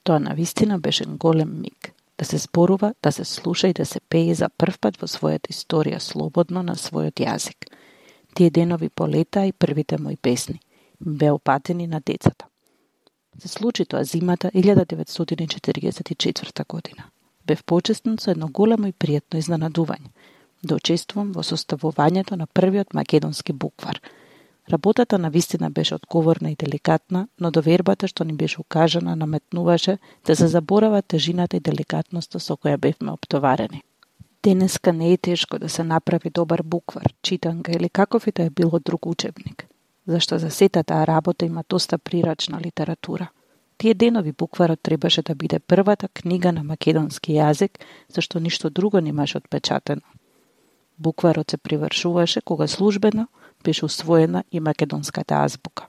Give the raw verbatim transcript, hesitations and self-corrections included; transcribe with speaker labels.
Speaker 1: Тоа навистина беше голем миг. Да се зборува, да се слуша и да се пее за првпат во својата историја слободно на својот јазик. Тие денови полетаа и првите мои песни. Беа упатени на децата. Се случи тоа зимата илјада деветстотини четиридесет и четврта година. Бев почестен со едно големо и пријатно изненадување. Да учествувам во составувањето на првиот македонски буквар. Работата навистина беше одговорна и деликатна, но довербата што ни беше укажана наметнуваше да се заборава тежината и деликатноста со која бевме оптоварени. Денеска не е тешко да се направи добар буквар, читанка или каков и да е било друг учебник, зашто за сета таа работа има доста прирачна литература. Тие денови букварот требаше да биде првата книга на македонски јазик, зашто ништо друго немаше отпечатено. Букварот се привршуваше кога службено беше усвоена и македонската азбука.